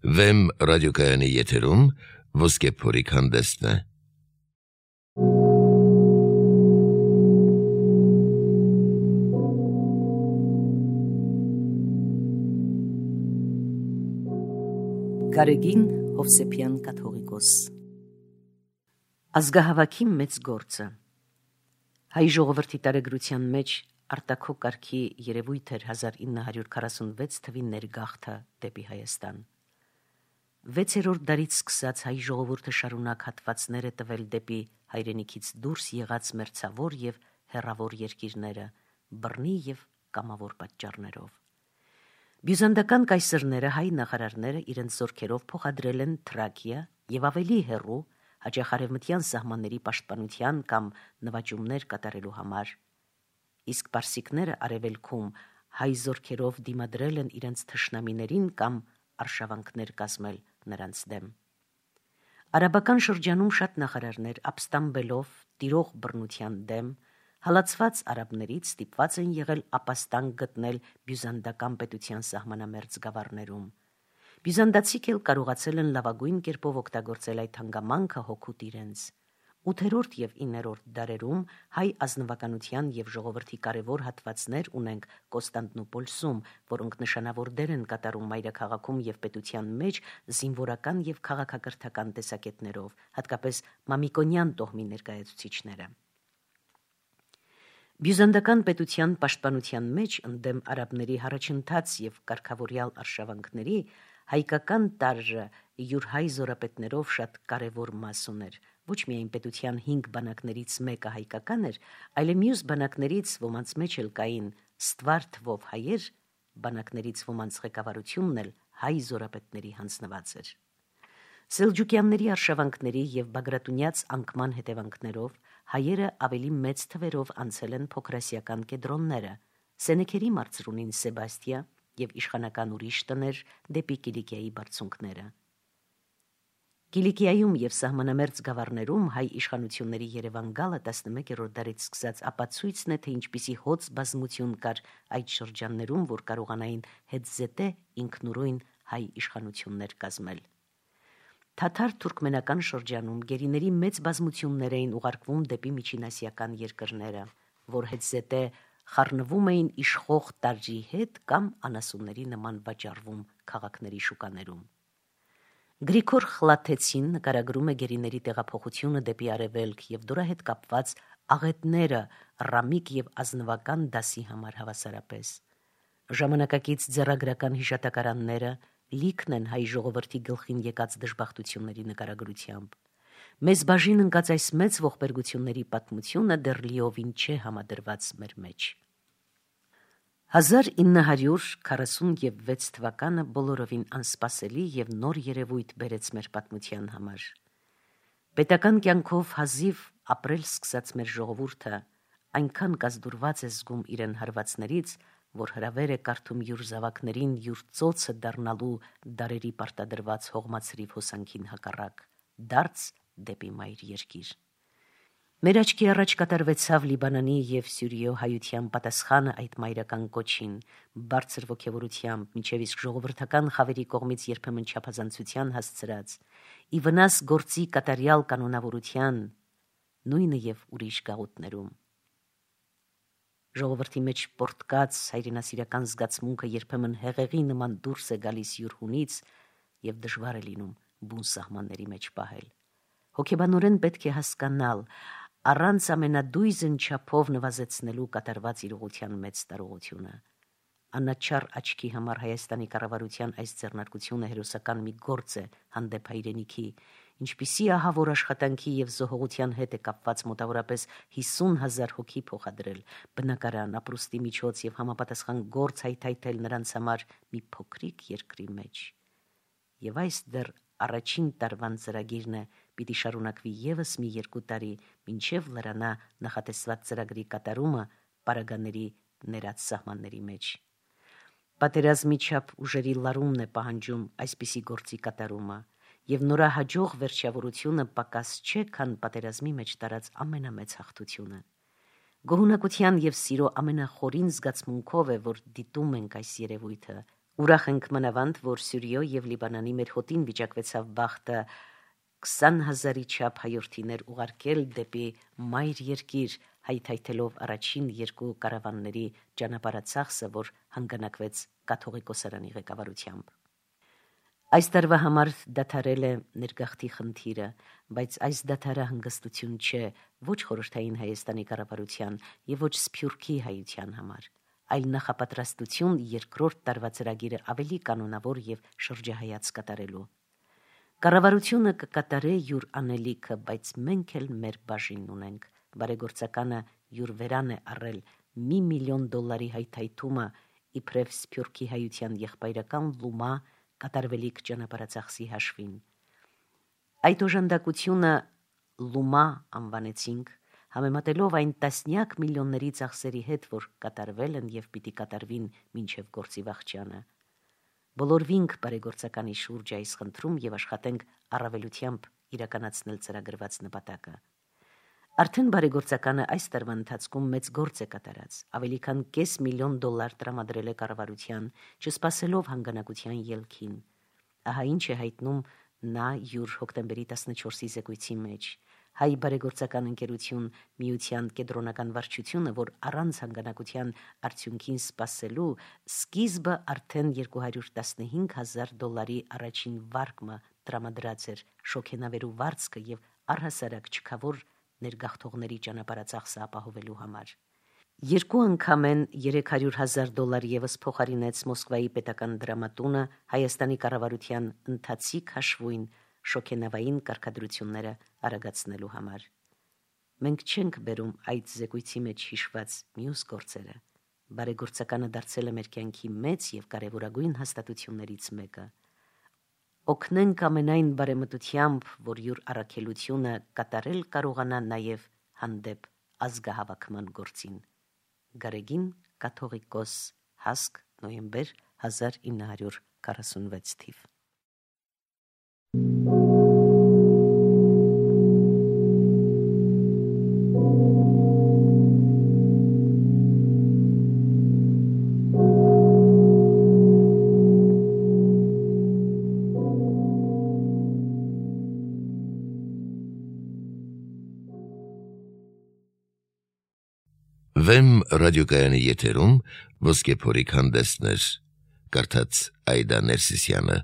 Վեմ ռադիոկայանի եթերում ոսկե փորիկ հանդեսն է։ Գարեգին Հովսեփյան կաթողիկոս Ազգահավաքի մեծ գործը հայ ժողովրդի տարեգրության մեջ արտաքո կարգի երևույթ էր 1946 թվի ներգաղթը դեպի Հայաստան։ 6-րդ դարից սկսած հայ ժողովուրդը շարունակ հատվածներ է տվել դեպի հայրենիքից դուրս եղած մերձավոր եւ հեռավոր երկիրները, բռնի եւ կամավոր պատճառներով։ Բյուզանդական կայսրները, հայ նախարարները իրենց զորքերով փոխադրել են Թրակիա եւ ավելի հեռու հաճախ արևմտյան սահմանների պաշտպանության կամ նվաճումներ կատարելու համար։ Իսկ պարսիկները արևելքում հայ զորքերով դիմադրել են իրենց թշնամիներին կամ արշավանքներ կազմել նրանց դեմ։ Արաբական շրջանում շատ նախարարներ ապստամբելով տիրող բռնության դեմ հալածված արաբներից ստիպված են եղել ապաստան գտնել բյուզանդական պետության սահմանամերձ գավառներում։ Բյուզանդացիք էլ կարողացել են լավագույն կերպով օգտագործել այդ հանգամանքը հոգուտ իրենց։ 8-րդ եւ 9-րդ դարերում հայ ազնվականության եւ ժողովրդի կարևոր հատվածներ ունենք Կոստանդնուպոլսում, որոնք նշանավոր դեր են կատարում մայրաքաղաքում եւ պետության մեջ զինվորական եւ քաղաքակրթական տեսակետներով, հատկապես մամիկոնյան տոհմի ներկայացուցիչները։ Բյուզանդական պետության պաշտպանության մեջ ընդդեմ արաբների առաջընթաց եւ կարգավորյալ արշավանքների հայկական տարրը յուր հայ զորապետներով շատ կարևոր մաս ուներ։ Ոչ միայն պետության 5 բանակներից մեկը հայկական էր, այլ մյուս բանակներից ոմանց մեջ էլ կային ստվար թվով հայեր, բանակներից ոմանց ղեկավարությունն էլ հայ զորապետների հանձնված էր։ Սելջուկյանների արշավանքների եւ բագրատունյաց անկման հետևանքներով հայերը ավելի մեծ թվերով անցել են փոքրասիական կեդրոնները, Սենեքերի մարզրունին Սեբաստիա եւ իշխանական ուրիշ տներ դեպի Կիլիկիայի բարձունքները։ Կիլիկիայում եւ սահմանամերձ գավառներում հայ իշխանությունների Երևան գալը 11-րդ դարից սկսած ապացույցն է, թե ինչպիսի հոծ բազմություն կար այդ շրջաններում, որ կարողանային հետզետե ինքնուրույն հայ իշխանություններ կազմել։ Թաթար-թուրքմենական շրջանում գերիների մեծ բազմություններ էին ուղարկվում դեպի միջինասիական երկրները, որ հետզետե խառնվում էին իշխող տարրի հետ կամ անասունների նման վաճառվում քաղաքների շուկաներում։ Գրիգոր Խլաթեցին նկարագրում է գերիների տեղափոխությունը դեպի արևելք եւ դրա հետ կապված աղետները ռամիկ եւ ազնվական դասի համար հավասարապես։ Ժամանակակից ձեռագրական հիշատակարանները լիքն են հայ ժողովրդի գլխին եկած դժբախտությունների նկարագրությամբ։ Մեզ բաժին ընկած այս մեծ ողբերգությունների պատմությունը դեռ լիովին չէ համադրված մեր մեջ։ 1946 թվականը բոլորովին անսպասելի եւ նոր երևույթ բերեց մեր պատմության համար։ Պետական կյանքով հազիվ ապրել սկսած մեր ժողովուրդը այնքան կազդուրված է զգում իրեն հարվածներից, որ հրավեր է կարդում յուր զավակներին յուր ծոցը դառնալու դարերի պարտադրված հողմացրիվ հոսանքին հակառակ, դարձ դեպի մայր երկիր։ Մեր աչքի առաջ կատարվեցավ Լիբանանի եւ Սյուրիո հայության պատասխանը այդ մայրական կոչին, բարձր ոգևորությամբ, մինչև իսկ ժողովրդական խավերի կողմից երբեմն չափազանցության հասցրած, ի վնաս գործի կատարյալ կանոնավորության, նույնը եւ ուրիշ գաղութներում։ Ժողովրդի մեջ պորտկած հայրենասիրական զգացմունքը երբեմն հեղեղի նման դուրս է գալիս յուր հունից եւ դժվար է լինում բուն սահմանների մեջ պահել։ Հոգեբանորեն պետք է հասկանալ առանց ամենադույզն չափով նվազեցնելու կատարված իրողության մեծ տարողությունը։ Անաչառ աչքի համար Հայաստանի կառավարության այս ձեռնարկությունը հերոսական մի գործ է հանդեպ հայրենիքի, ինչպիսի ահավոր աշխատանքի եւ զոհողության հետ է կապված մոտավորապես 50,000 հոգի փոխադրել, բնակարան, ապրուստի միջոց եւ համապատասխան գործ հայթայթել նրանց համար մի փոքրիկ երկրի մեջ։ Եվ այս դեռ առաջին տարվան ծրագիրն է, պիտի շարունակվի եւս մի 2 տարի, մինչեւ լրանա նախատեսված ծրագրի կատարումը պարագաների ներած սահմանների մեջ։ Պատերազմի չափ ուժերի լարումն է պահանջում այսպիսի գործի կատարումը, եւ նորահաջող վերջավորությունը պակաս չէ, քան պատերազմի մեջ տարած ամենամեծ հաղթությունը։ Գոհունակության եւ սիրո ամենախորին զգացմունքով է, որ դիտում ենք այս երևույթը, Ուրախ ենք մանավանդ, որ Սյուրիո եւ Լիբանանի մեր հոտին վիճակվեցավ բախտը 20,000-ի չափ հայորդիներ ուղարկել դեպի մայր երկիր, հայթայթելով առաջին երկու կարավանների ճանապարհածախսը, որ հանգանակվեց կաթողիկոսարանի ղեկավարությամբ։ Այս տարվա համար դադարել է ներգաղթի խնդիրը, բայց այս դադարը հանգստություն չէ ոչ խորհրդային Հայաստանի կառավարության եւ ոչ Սփյուռքի հայության համար, այլ նախապատրաստություն երկրորդ տարվա ծրագիրը ավելի կանոնավոր եւ շրջահայաց կատարելու։ Կառավարությունը կկատարե յուր անելիքը, բայց մենք էլ մեր բաժինն ունենք։ Բարեգործականը յուր վերան է առել $1 միլիոն հայթայթումը իբրև Սփյուռքի հայության եղբայրական Լումա կատարվելիք ճանապարհածախսի հաշվին։ Այդ օժանդակությունը Լումա անվանեցինք, համեմատելով այն տասնյակ միլիոնների ծախսերի հետ, որ կատարվել են եւ պիտի կատարվին մինչեւ գործի վախճանը։ Բոլորվինք բարեգործականի շուրջ այս խնդրում եւ աշխատենք առավելությամբ իրականացնել ծրագրված նպատակը։ Արդեն բարեգործականը այս տարվա ընթացքում մեծ գործ է կատարած, ավելի քան $500 միլիոն տրամադրել է կառավարության, չսպասելով հանգանակության ելքին։ Ահա ինչ է հայտնում նա յուր հոկտեմբերի 14-ի զեկույցի մեջ։ Հայ բարեգործական ընկերություն միության կենտրոնական վարչությունը, որ առանց հանգանակության արդյունքին սպասելու սկիզբը արդեն $215,000 առաջին վարկը տրամադրած էր շոքենավերու վարձքը եւ առհասարակ չքավոր ներգաղթողների ճանապարհածախսը ապահովելու համար։ Երկու անգամ են $300,000 եւս փոխարինեց Մոսկվայի պետական դրամատունը Հայաստանի կառավարության ընթացիկ հաշվույն շոքենավային կարգադրությունները արագացնելու համար։ Մենք չենք բերում այդ զեկույցի մեջ հիշված մյուս գործերը։ Բարեգործականը դարձել է մեր կյանքի մեծ եւ կարեւորագույն հաստատություններից մեկը։ Օգնենք ամենայն բարեմտությամբ, որ յուր առաքելությունը կատարել կարողանա նաեւ հանդեպ ազգահավաքման գործին։ Գարեգին կաթողիկոս Հասկ նոյեմբեր 1946 թիվ։ Վեմ ռադիոկայանի եթերում ոսկե փորիկ հանդեսներ, կարդաց Այդա Ներսիսյանը։